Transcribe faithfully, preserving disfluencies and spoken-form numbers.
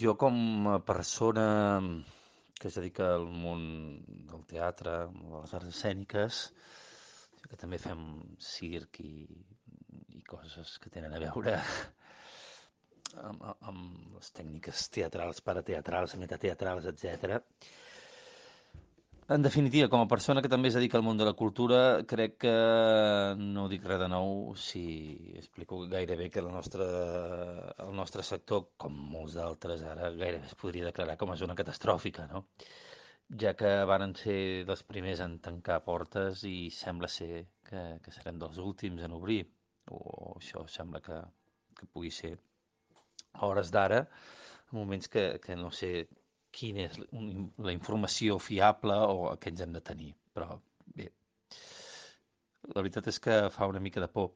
Jo com a persona que es dedica al món del teatre, de les arts escèniques, que també fem circ i, i coses que tenen a veure amb, amb les tècniques teatrals, parateatrals, metateatrals, etcètera. En definitiva, com a persona que també es dedica al món de la cultura, crec que no dic res de nou si explico gairebé que el nostre, el nostre sector, com molts d'altres, ara gairebé es podria declarar com a zona catastròfica, no? Ja que varen ser dels primers en tancar portes i sembla ser que, que serem dels últims en obrir, o això sembla que, que pugui ser a hores d'ara, en moments que, que no sé quina és un- la informació fiable o que ens hem de tenir. Però bé, la veritat és que fa una mica de por